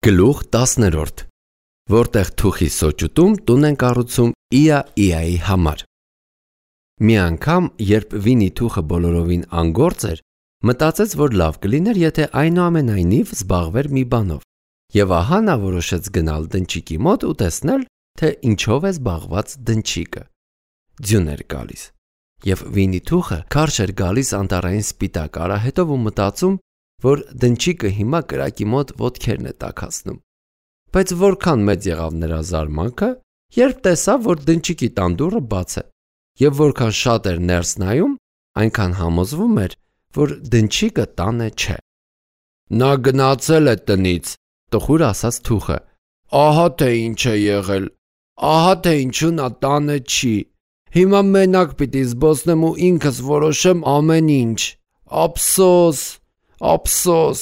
Գլուխ 10-րդ, որտեղ թուխի սոճուտում տուն են կառուցում Իայի համար։ Մի անգամ, երբ Վինի թուխը բոլորովին անգործ էր, մտածեց, որ լավ կլիներ, եթե այնուամենայնիվ զբաղվեր մի բանով, եւ ահա նա որոշեց գնալ դնչիկի մոտ ու տեսնել, թե ինչով է զբաղված դնչիկը։ Ձյուն էր գալիս, եւ Վինի թուխը քարշ էր գալիս անտառային սպիտակ արահետով ու մտածում, որ դնչիկը հիմա կրակի մոտ ոտքերն է տաքացնում։ Բայց որքան մեծ եղավ նրա զարմանքը, երբ տեսավ, որ դնչիկի տան դուռը բաց է, եւ որքան շատ էր ներս նայում, այնքան համոզվում էր, որ դնչիկը տանը չէ։ Նա գնացել է տնից, տխուր ասաց թուխը։ Ահա թե ինչ է եղել, ահա թե ինչու նա տանը չի։ Հիմա մենակ պիտի զբոսնեմ ու ինքս որոշեմ ամեն ինչ։ Ափսոս, ափսոս։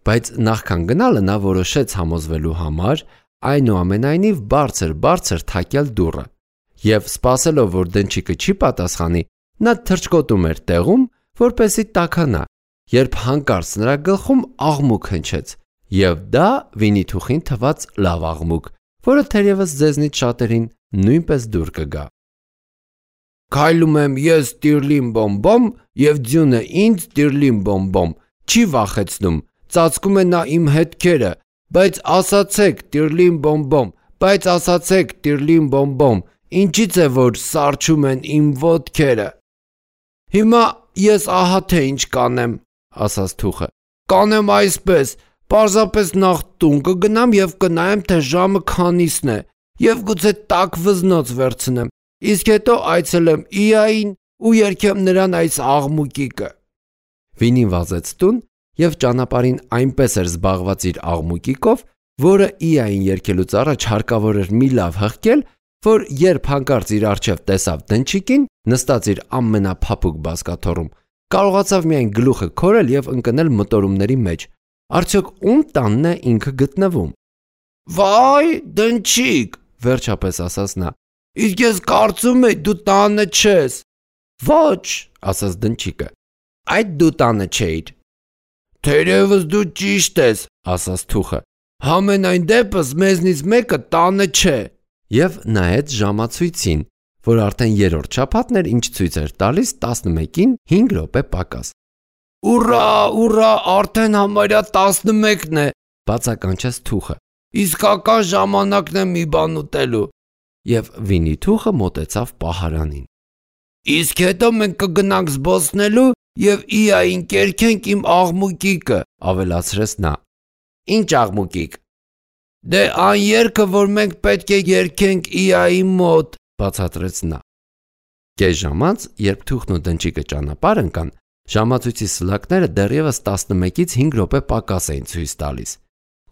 Բայց նախքան գնալը նա որոշեց համոզվելու համար այնուամենայնիվ բարձր թակել դուռը, եւ սպասելով, որ դնչիկը չի պատասխանի, նա թռչկոտում էր տեղում, որպեսզի տաքանա, երբ հանկարծ նրա գլխում աղմուկ հնչեց, եւ դա Վինի թուխին թվաց լավ աղմուկ, որը թերևս ձեզնից շատերին նույնպես դուր կգա։ Քայլում եմ ես տիրլին բոմբոմ եւ ձյունը ինձ տիրլին բոմբոմ, չի վախեցնում, ծածկում է նա իմ հետքերը, բայց ասացեք տիրլին բոմբոմ, բայց ասացեք տիրլին բոմբոմ, ինչից է որ սառչում են իմ ոտքերը։ Հիմա ես ահա թե ինչ կանեմ, ասաց թուխը։ Կանեմ այսպես, պարզապես նախ տուն կգնամ եւ կնայեմ, թե ժամը քանիսն է, եւ գուցե տաք վզնոց վերցնեմ, իսկ հետո այցելեմ Իային ու երգեմ նրան այս աղմուկիկը։ Վինին վազեց տուն եւ ճանապարհին այնպես էր զբաղված իր աղմուկիկով, որը Իային երգելուց առաջ հարկավոր էր մի լավ հղկել, որ երբ հանկարծ իր առջև տեսավ դնչիկին, նստած իր ամենափափուկ բազկաթոռում, կարողացավ միայն գլուխը քորել եւ ընկնել մտորումների մեջ։ Արդյոք ում տանն է ինքը գտնվում։ Վայ, դնչիկ, վերջապես ասաց նա։ Իսկ ես կարծում եի դու տանը չես։ Ոչ, ասաց դնչիկը։ Այդ դու տանը չէիր։ Թերևս դու ճիշտ ես, ասաց թուխը։ Համենայն դեպս մեզնից մեկը տանը չէ։ Եվ նայեց ժամացույցին, որ արդեն երրորդ շաբաթն էր, ինչ ցույց էր տալիս 11-ին 5 րոպե պակաս։ Ուռա, ուռա, արդեն համարյա 11-ն է, բացականչեց թուխը։ Իսկական ժամանակն է մի բան ուտելու։ Եվ Վինի թուխը մոտեցավ պահարանին։ Իսկ հետո մենք կգնանք զբոսնելու եւ Իային կերքենք իմ աղմուկիկը, ավելացրեց նա։ Ինչ աղմուկիկ։ Դե այն երգը, որ մենք պետք է երգենք Իայի մոտ, բացատրեց նա։ Կես ժամանց, երբ թուխն ու դնչիկը ճանապարհ ընկան, ժամացույցի սլակները դեռևս 11-ից 5 րոպե պակաս էին ցույց տալիս։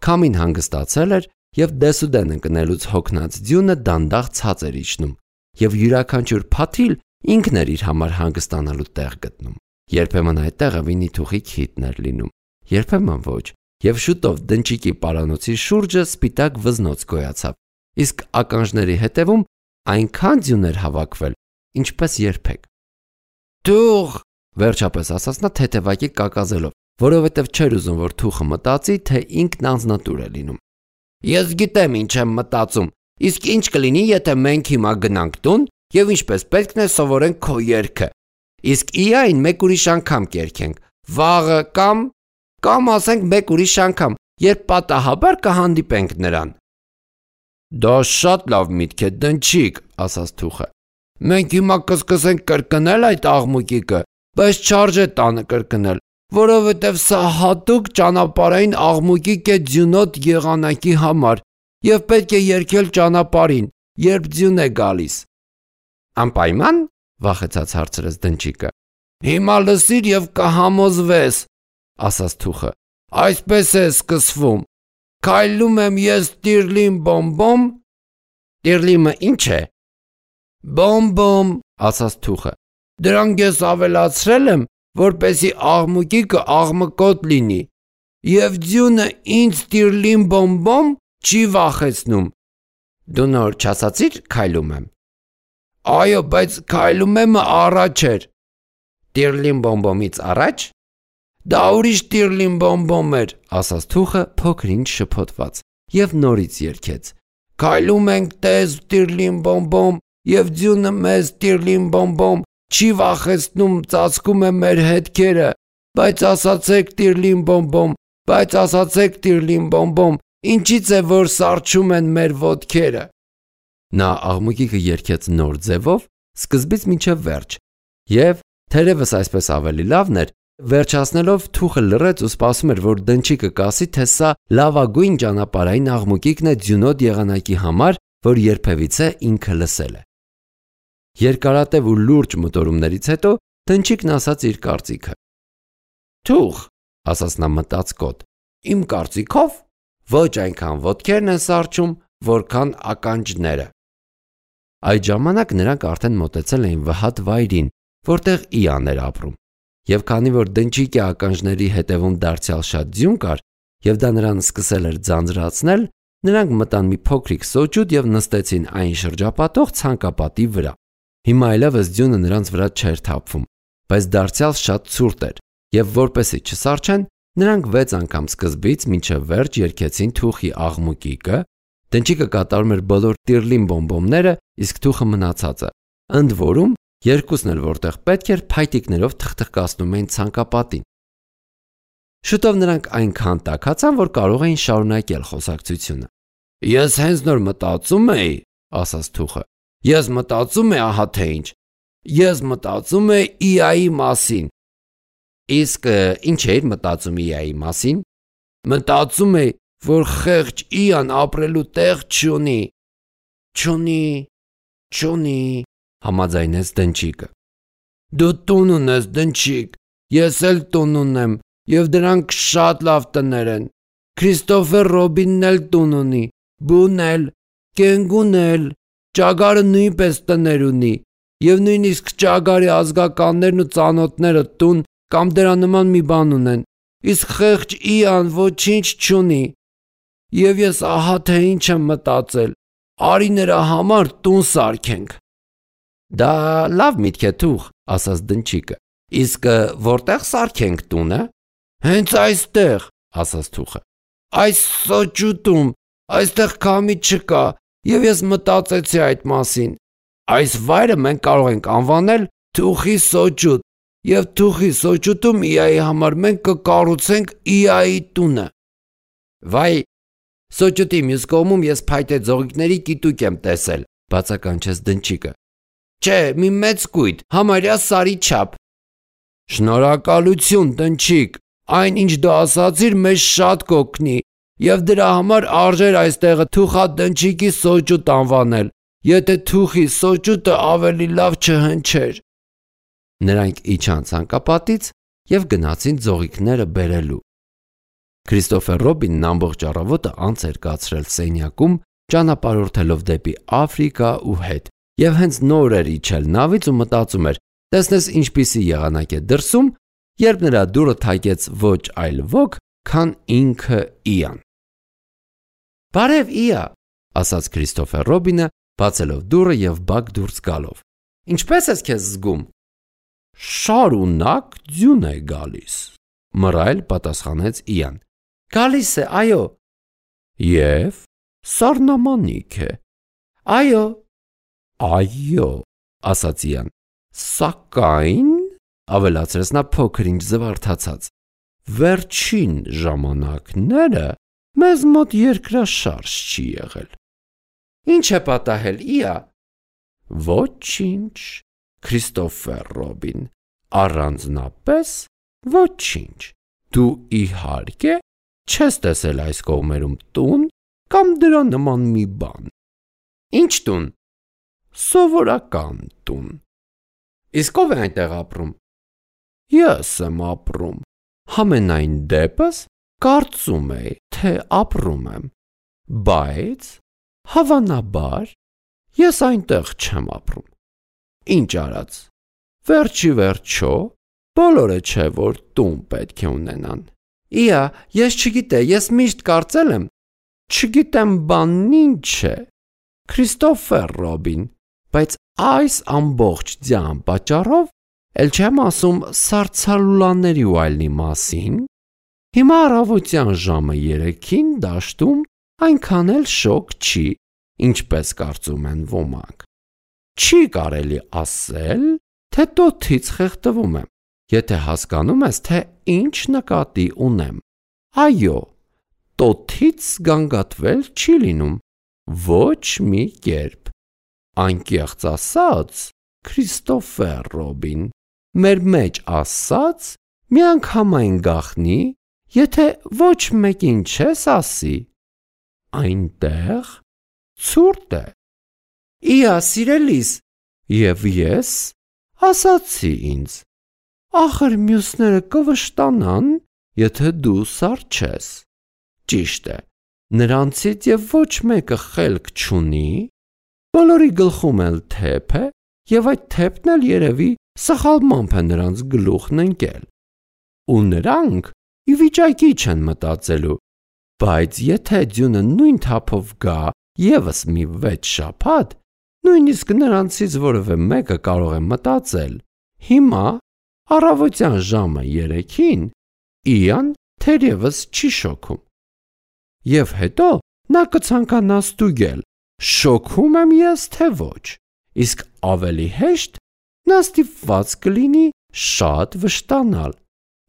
Քամին հանգստացել էր եւ դեսուդեն ընկնելուց հոգնած ձյունը դանդաղ ցած էր իջնում, եւ յուրաքանչյուր փաթիլ ինքն էր իր համար հանգստանալու տեղ գտնում։ Երբեմն այդ տեղը Վինի թուխի քիթն էր լինում, երբեմն ոչ, եւ շուտով դնչիկի պարանոցի շուրջը սպիտակ վզնոց գոյացավ, իսկ ականջների հետևում այնքան ձյուն էր հավաքվել, ինչպես երբեք։ Թուխ, վերջապես ասաց նա թեթևակի կակազելով, որովհետև չէր ուզում, որ թուխը մտածի, թե ինքն անձնատուր է լինում։ Ես գիտեմ ինչ եմ մտածում, իսկ ինչ կլինի, եթե մենք հիմա գնանք տուն եւ ինչպես պետքն է սովորենք քո երգը։ Իսկ Իային մեկ ուրիշ անգամ կերքենք, վաղը կամ ասենք մեկ ուրիշ անգամ, երբ պատահաբար կհանդիպենք նրան։ Դա շատ լավ միտք է, դնչիկ, ասաց թուխը։ Մենք հիմա կսկսենք կրկնել այդ աղմուկիկը, բայց չարժե տանը կրկնել, որովհետև սա հատուկ ճանապարհային աղմուկիկ է ձյունոտ եղանակի համար եւ պետք է երգել ճանապարհին, երբ ձյուն է գալիս։ Անպայման, վախեցած հարցրեց դնչիկը։ Հիմա լսիր եւ կհամոզվես, ասաց թուխը։ Այսպես է սկսվում։ Քայլում եմ ես տիրլին բոմբոմ։ Տիրլիմը ինչ է։ Բոմբոմ, ասաց թուխը։ Դրանք ես ավելացրել եմ, որպեսի աղմուկիկը աղմկոտ լինի, եւ ձյունը ինձ տիրլին բոմբոմ չի վախեցնում։ Դու նոր չասացիր քայլում եմ։ Այո, բայց քայլում եմը առաջ էր։ Տիրլին բոմբոմից առաջ։ Դա ուրիշ տիրլին բոմբոմ էր, ասաց թուխը փոքրինչ շփոթված եւ նորից երգեց. Քայլում ենք տեզ տիրլին բոմբոմ եւ ձյունը մեզ տիրլին բոմբոմ, չի վախեցնում, ծածկում է մեր հետքերը, բայց ասացեք տիրլին բոմբոմ, բայց ասացեք տիրլին բոմբոմ, ինչից է որ սառչում են մեր ոտքերը։ Նա աղմուկիկը երգեց նոր ձևով, սկզբից մինչև վերջ, եւ թերևս այսպես ավելի լավն էր, վերջացնելով թուխը լռեց ու սպասում էր, որ դնչիկը կասի, թե սա լավագույն ճանապարհային աղմուկիկն է ձյունոտ եղանակի համար, որ երբևիցե ինքը լսել է։ Երկարատև ու լուրջ մտորումներից հետո դնչիկն ասաց իր կարծիքը։ Թուխ, ասաց նա մտածկոտ, իմ կարծիքով ոչ այնքան ոտքերն են սառչում, որքան ականջները։ Այդ ժամանակ նրանք արդեն մոտեցել էին վհատ վայրին, որտեղ Իան էր ապրում, եւ քանի որ դնչիկի ականջների հետևում դարձյալ շատ ձյուն կար, եւ դա նրան սկսել էր ձանձրացնել, նրանք մտան մի փոքրիկ սոճուտ եւ նստեցին այն շրջապատող ցանկապատի վրա։ Հիմա այլևս ձյունը նրանց վրա չէր թափվում, բայց դարձյալ շատ ցուրտ էր, եւ որպեսզի չսառչեն, նրանք 6 անգամ սկզբից մինչև վերջ երգեցին թուխի աղմուկիկը, դնչիկը կատարում էր բոլոր տիրլին բոմբոմները, իսկ թուխը մնացածը, ընդ որում երկուսն էլ որտեղ պետք էր փայտիկներով թխթխկացնում էին ցանկապատին։ Շուտով նրանք այնքան տաքացան, որ կարող էին շարունակել խոսակցությունը։ Ես հենց նոր մտածում էի, ասաց թուխը։ Ես մտածում եմ ահա թե ինչ։ Ես մտածում եմ Իայի մասին։ Իսկ ինչ էիր մտածում Իայի մասին։ Մտածում եմ, որ խեղճ Իան ապրելու տեղ չունի։ Չունի, համաձայնեց դնչիկը։ Դու տուն ունես, դնչիկ, ես էլ տուն ունեմ, եւ դրանք շատ լավ տներ են։ Քրիստոֆեր Ռոբինն էլ տուն ունի, Բուն էլ, Կենգուն էլ, Ճագարը նույնպես տներ ունի, եւ նույնիսկ Ճագարի ազգականներն ու ծանոթները տուն կամ դրա նման մի բան ունեն, իսկ խեղճ Իան ոչինչ չունի։ Եվ ես ահա թե ինչ եմ մտածել, արի նրա համար տուն սարքենք։ Դա լավ միտք է թուխ, ասաց դնչիկը, իսկ որտեղ սարքենք տունը։ Հենց այստեղ, ասաց թուխը, այս սոճուտում, այստեղ քամի չկա, եւ ես մտածեցի այդ մասին։ Այս վայրը մենք կարող ենք անվանել Թուխի սոճուտ, եւ Թուխի սոճուտում Իայի համար մենք կկառուցենք Իայի տունը։ Վայ, սոճուտի մյուս կողմում ես փայտե ձողիկների կիտուկ եմ տեսել, բացականչեց դնչիկը։ Չէ, մի մեծ կույտ, համարյա սարի չափ։ Շնորհակալություն, դնչիկ, այն ինչ դու ասացիր մեզ շատ կօգնի, եւ դրա համար արժեր այստեղը Թուխա դնչիկի սոճուտ անվանել, եթե Թուխի սոճուտը ավելի լավ չհնչեր։ Նրանք իջան ցանկապատից եւ գնացին ձողիկները բերելու։ Քրիստոֆեր Ռոբինն ամբողջ առավոտը անց էր կացրել սենյակում, ճանապարհորդելով դեպի Աֆրիկա ու հետ, եւ հենց նոր էր իջել նավից ու մտածում էր, տեսնես ինչպիսի եղանակ է դրսում, երբ նրա դուռը թակեց ոչ այլ ոք, քան ինքը Իան։ Բարև Իա, ասաց Քրիստոֆեր Ռոբինը, բացելով դուռը եւ բակ դուրս գալով։ Ինչպես ես քեզ զգում։ Շարունակ ձյուն է գալիս, մռայլ պատասխանեց Իան։ Գալիս է, այո։ Եվ սառնամանիք է։ Այո, ասաց Իան։ Սակայն, ավելացրեց նա փոքրինչ զվարթացած, վերջին ժամանակները մեզ մոտ երկրաշարժ չի եղել։ Ինչ է պատահել, Իա։ Ոչինչ, Քրիստոֆեր Ռոբին, առանձնապես ոչինչ։ Դու իհարկե չես տեսել այս կողմերում տուն կամ դրա նման մի բան։ Ինչ տուն։ Սովորական տուն։ Իսկ ով է այնտեղ ապրում։ Ես եմ ապրում։ Համենայն դեպս կարծում էի, թե ապրում եմ, բայց հավանաբար ես այնտեղ չեմ ապրում։ Ինչ արած։ Վերջի վերջո բոլորը չէ, որ տուն պետք է ունենան։ Իա, ես չգիտեմ, ես միշտ կարծել եմ, չգիտեմ բանն ինչ է։ Քրիստոֆեր Ռոբին, բայց այս ամբողջ ձյան պատճառով էլ չեմ ասում սառցալուլաների ու այլնի մասին, հիմա առավոտյան ժամը 3-ին դաշտում այնքան էլ շոկ չի, ինչպես կարծում են ոմանք։ Չի կարելի ասել, թե տոթից խեղդվում եմ, եթե հասկանում ես, թե ինչ նկատի ունեմ։ Այո, տոթից գանգատվել չի լինում, ոչ մի կերպ։ Անկեղծ ասած, Քրիստոֆեր Ռոբին, մեր մեջ ասած, միանգամայն գախնի, եթե ոչ մեկին չես ասի, այնտեղ ցուրտ է։ Իա սիրելիս, և ես ասացի ինձ, ախր մյուսները կվշտանան, եթե դու սառը չես։ Ճիշտ է, նրանցից և ոչ մեկը խելք չունի, բոլորի գլխում էլ թեփ է, և այդ թեփն էլ երևի սխալմամբ է նրանց գլուխն ընկել։ Ու նրանք ի վիճակի չեն մտածելու, բայց եթե ձյունը նույն թափով գա ևս մի 6 շաբաթ, նույնիսկ նրանցից որևէ մեկը կարող է մտածել. հիմա առավոտյան ժամը 3-ին Իան թերևս չի շոքում։ Եվ հետո նա կցանկանա ստուգել, շոքում եմ ես թե ոչ, իսկ ավելի հեշտ նա ստիպված կլինի շատ վշտանալ։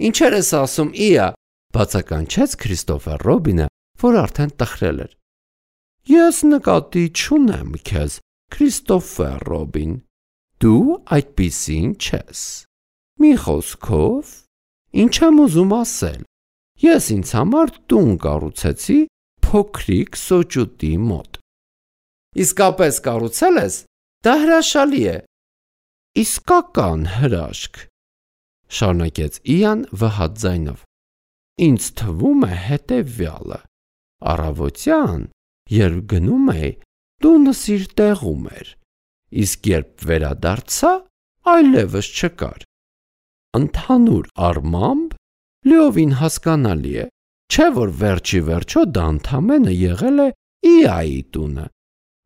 Ինչեր ես ասում, Իա, բացականչեց Քրիստոֆեր Ռոբինը, որ արդեն տխրել էր։ Ես նկատի չունեմ քեզ, Քրիստոֆեր Ռոբին, դու այդպիսին չես։ Մի խոսքով, ինչ եմ ուզում ասել, ես ինձ համար տուն կառուցեցի փոքրիկ սոճուտի մոտ։ Իսկապես կառուցել ես, դա հրաշալի է։ Իսկական հրաշք, շարունակեց Իան վհատ ձայնով։ Ինձ թվում է հետևյալը. առավոտյան, երբ գնում էի, տունս իր տեղում էր, իսկ երբ վերադարձա, այլևս չկար։ Ընդհանուր առմամբ լիովին հասկանալի է, չէ որ վերջի վերջո դա ընդամենը եղել է Իայի տունը,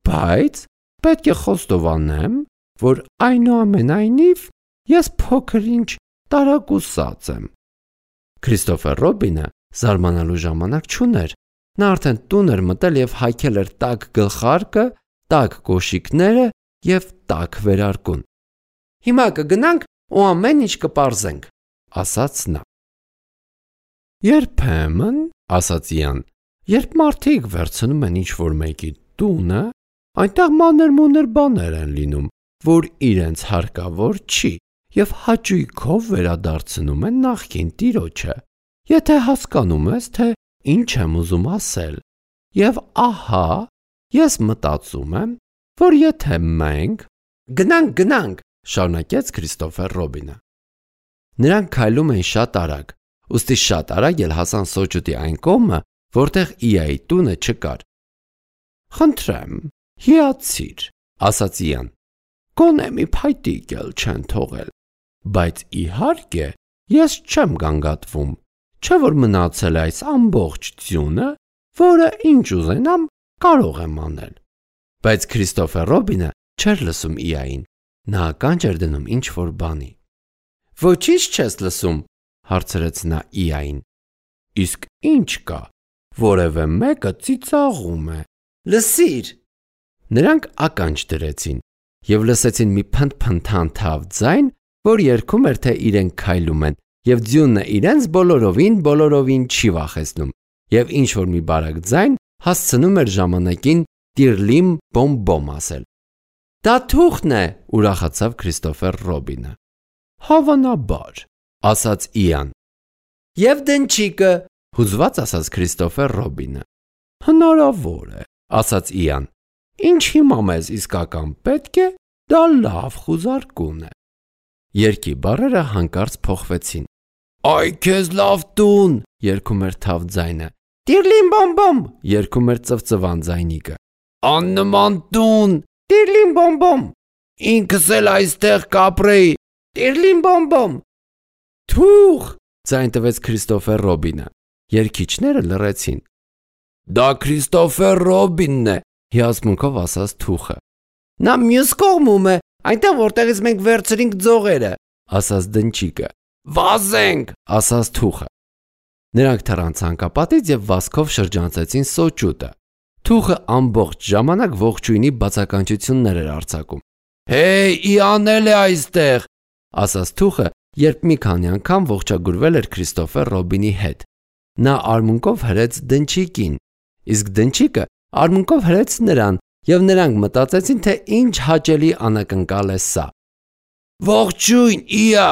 բայց պետք է խոստովանեմ, որ այնուամենայնիվ ես փոքր-ինչ տարակուսած եմ։ Քրիստոֆեր Ռոբինը զարմանալու ժամանակ չուներ, նա արդեն տուն էր մտել և հայքել էր տաք գլխարկը, տաք կոշիկները և տաք վերարկուն։ Հիմա կգնանք ու ամեն ինչ կպարզենք, ասաց նա։ Երբեմն, ասաց Իան, երբ մարդիկ վերցնում են ինչ-որ մեկի տունը, այնտեղ մանր-մունր բաներ են լինում, որ իրենց հարկավոր չի, և հաճույքով վերադարձնում են նախկին տիրոջը, եթե հասկանում ես, թե ինչ եմ ուզում ասել, և ահա, ես մտածում եմ, որ եթե մենք… Գնանք, շարունակեց Քրիստոֆեր Ռոբինը։ Նրանք քայլում էին շատ արագ, ուստի շատ արագ էլ հասան սոճուտի այն կողմը, որտեղ Իայի տունը չկար։ Խնդրեմ, հիացիր, ասաց Իան, գոնե մի փայտիկ էլ չեն թողել, բայց իհարկե ես չեմ գանգատվում, չէ որ մնացել է այս ամբողջ ձյունը, որը ինչ ուզենամ կարող եմ անել։ Բայց Քրիստոֆեր Ռոբինը չէր լսում Իային, նա ականջ էր դնում ինչ-որ բանի։ Ոչինչ չես լսում, հարցրեց նա Իային։ Իսկ ինչ կա, որևէ մեկը ծիծաղում է։ Լսիր։ Նրանք ականջ դրեցին և լսեցին մի փնթփնթանթավ ձայն, որ երգում էր, թե իրենք քայլում են, և ձյունը իրենց բոլորովին չի վախեցնում, և ինչ-որ մի բարակ ձայն հասցնում էր ժամանակին տիրլիմ բոմ-բոմ ասել։ Դա թուղթն է, ուրախացավ Քրիստոֆեր Ռոբինը։ Հավանաբար, ասաց Իան։ Եվ դնչիկը, հուզված ասաց Քրիստոֆեր Ռոբինը։ Հնարավոր է, ասաց Իան։ Ինչ հիմա մեզ իսկական պետք է, դա լավ խուզարկուն է։ Երգի բառերը հանկարծ փոխվեցին։ Այ քեզ լավ տուն, երգում էր թավ ձայնը։ Տիրլիմ բոմ-բոմ, երգում էր ծվծվան ձայնիկը։ Աննման տուն, տիրլիմ բոմ-բոմ։ Ինքս էլ այստեղ կապրեի, տիրլիմ բոմ-բոմ։ Թուղ, ձայն տվեց Քրիստոֆեր Ռոբինը։ Երգիչները լռեցին։ Դա Քրիստոֆեր Ռոբինն է, հիացմունքով ասաց թուղը։ Նա մյուս կողմում է, այնտեղ որտեղից մենք վերցրինք ձողերը, ասաց դնչիկը։ Վազենք, ասաց թուխը։ Նրանք թռան ցանկապատից եւ վազքով շրջանցեցին սոճուտը։ Թուխը ամբողջ ժամանակ ողջույնի բացականչություններ էր արձակում։ Հեյ, իանել է այստեղ, ասաց թուխը, երբ մի քանի անգամ ողջագուրվել էր Քրիստոֆեր Ռոբինի հետ։ Նա արմունկով հրեց դնչիկին, իսկ դնչիկը արմունկով հրեց նրան, եւ նրանք մտածեցին, թե ինչ հաճելի անակնկալ է սա։ Ողջույն, իա։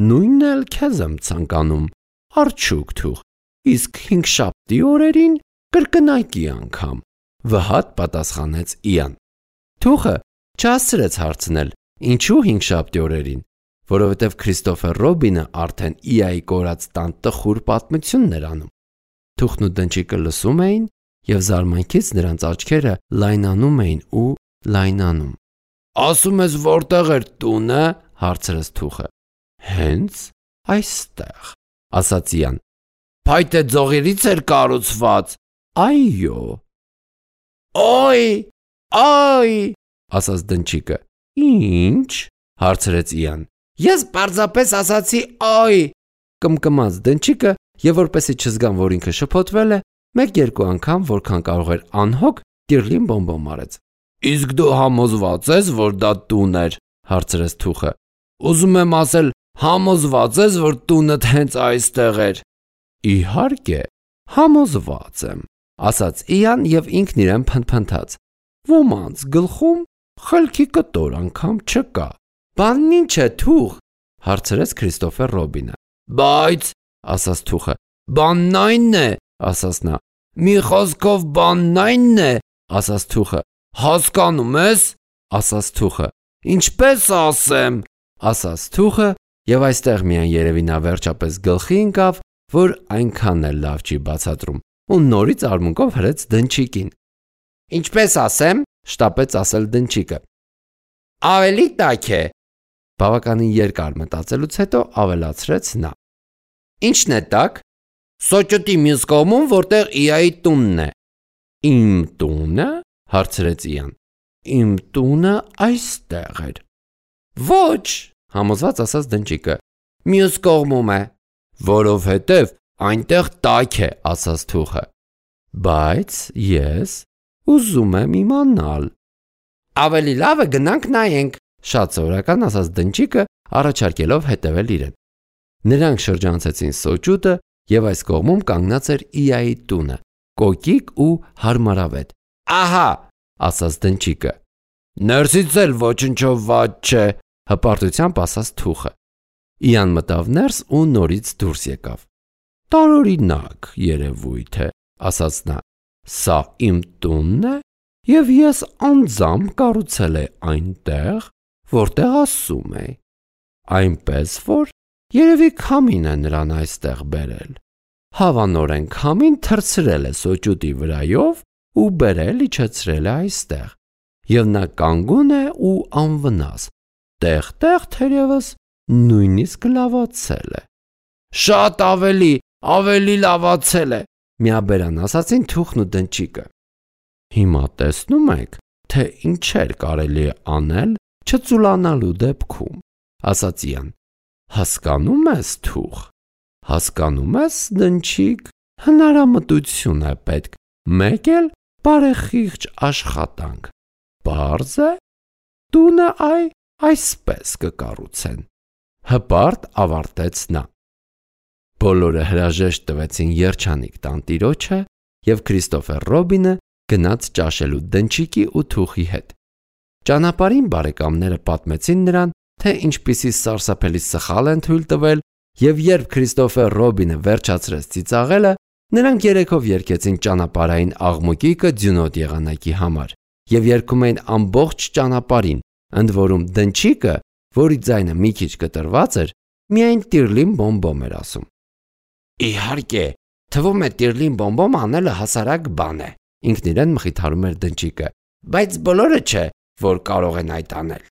Նույնն էլ քեզ եմ ցանկանում, արջուկ թուխ, իսկ հինգշաբթի օրերին կրկնակի անգամ, վհատ պատասխանեց Իան։ Թուխը չհասցրեց հարցնել, ինչու հինգշաբթի օրերին, որովհետև Քրիստոֆեր Ռոբինը արդեն Իայի կորած տան տխուր պատմությունն էր անում։ Թուխն ու դնչիկը լսում էին եւ զարմանքից նրանց աչքերը լայնանում էին ու լայնանում։ Ասում ես որտեղ էր տունը, հարցրեց թուխը։ Հենց այստեղ, ասաց Իան։ Փայտե ձողերից էր կառուցված։ Այո։ Օй, այ, ասաց դնչիկը։ Ինչ, հարցրեց Իան։ Ես պարզապես ասացի այ, կմկմաց դնչիկը եւ որպեսզի չզգան, որ ինքը շփոթվել է, մեկ-երկու անգամ, որքան կարող էր անհոգ, տիրլին բոմբոմ արեց։ Իսկ դու համոզված ես, որ դա տուն էր, հարցրեց թուխը։ Ուզում եմ ասել, համոզված ես, որ տունդ հենց այստեղ էր։ Իհարկե, համոզված եմ, ասաց Իան եւ ինքն իրեն փնթփնթաց։ Ոմանց գլխում խելքի կտոր անգամ չկա։ Բանն ինչ է, թուխ, հարցրեց Քրիստոֆեր Ռոբինը։ Բայց, ասաց թուխը, բանն այնն է, ասաց նա։ Մի խոսքով բանն այնն է, ասաց թուխը։ Հասկանում ես, ասաց թուխը։ Ինչպես ասեմ, ասաց թուխը, եւ այստեղ միայն երևի նա վերջապես գլխի ընկավ, որ այնքան էլ լավ չի բացատրում, ու նորից արմունկով հրեց դնչիկին։ Ինչպես ասեմ, շտապեց ասել դնչիկը։ Ավելի տաք է։ Բավականին երկար մտածելուց հետո ավելացրեց նա։ Ինչն է տաք։ Սոճուտի մյուս կողմում, որտեղ Իայի տունն է։ Իմ տունը, հարցրեց Իան։ Իմ տունը այստեղ էր։ Ոչ, համոզված ասաց դնչիկը։ Մյուս կողմում է։ Որովհետև այնտեղ տաք է, ասաց թուխը։ Բայց ես ուզում եմ իմանալ։ Ավելի լավ է գնանք նայենք, շատ սովորական ասաց դնչիկը, առաջարկելով հետևել իրեն։ Նրանք շրջանցեցին սոճուտը եւ այս կողմում կանգնած էր Իայի տունը, կոկիկ ու հարմարավետ։ Ահա, ասաց դնչիկը։ Ներսից էլ ոչնչով վատ չէ, հպարտությամբ ասաց թուխը։ Իան մտավ ներս ու նորից դուրս եկավ։ Տարօրինակ երևույթ է, ասաց նա։ Սա իմ տունն է եւ ես անձամբ կառուցել եմ այնտեղ, որտեղ ասում է։ Այնպես որ երևի քամին է նրան այստեղ բերել։ Հավանորեն քամին թռցրել է սոճուտի վրայով ու բերել իջեցրել է այստեղ։ Եվ նա կանգուն է ու անվնաս։ Տեղ-տեղ թերևս նույնիսկ լավացել է։ Շատ ավելի լավացել է, միաբերան ասացին թուխն ու դնչիկը։ Հիմա տեսնում եք, թե ինչեր կարելի է անել չծուլանալու դեպքում, ասաց Իան։ Հասկանում ես, թուխ, հասկանում ես, դնչիկ, հնարամտություն է պետք, մեկ էլ բարեխիղճ աշխատանք։ Պարզ է, տունը այսպես կկառուցեն։ Հպարտ ավարտեց նա։ Բոլորը հրաժեշտ տվեցին երջանիկ տանտիրոջը եւ Քրիստոֆեր Ռոբինը գնաց ճաշելու դնչիկի ու թուխի հետ։ Ճանապարհին բարեկամները պատմեցին նրան, թե ինչպիսի սարսափելի սխալ են թույլ տվել, եւ երբ Քրիստոֆեր Ռոբինը վերջացրեց ծիծաղելը, նրանք երեքով երգեցին ճանապարհային աղմուկիկը ձյունոտ եղանակի համար եւ երգում էին ամբողջ ճանապարհին, ընդ որում դնչիկը, որի ձայնը մի քիչ կտրված էր, միայն տիրլին բոմբոմ էր ասում։ Իհարկե, թվում է տիրլին բոմբոմ անելը հասարակ բան է, ինքն իրեն մխիթարում էր դնչիկը, բայց բոլորը չէ, որ կարող են այդ անել։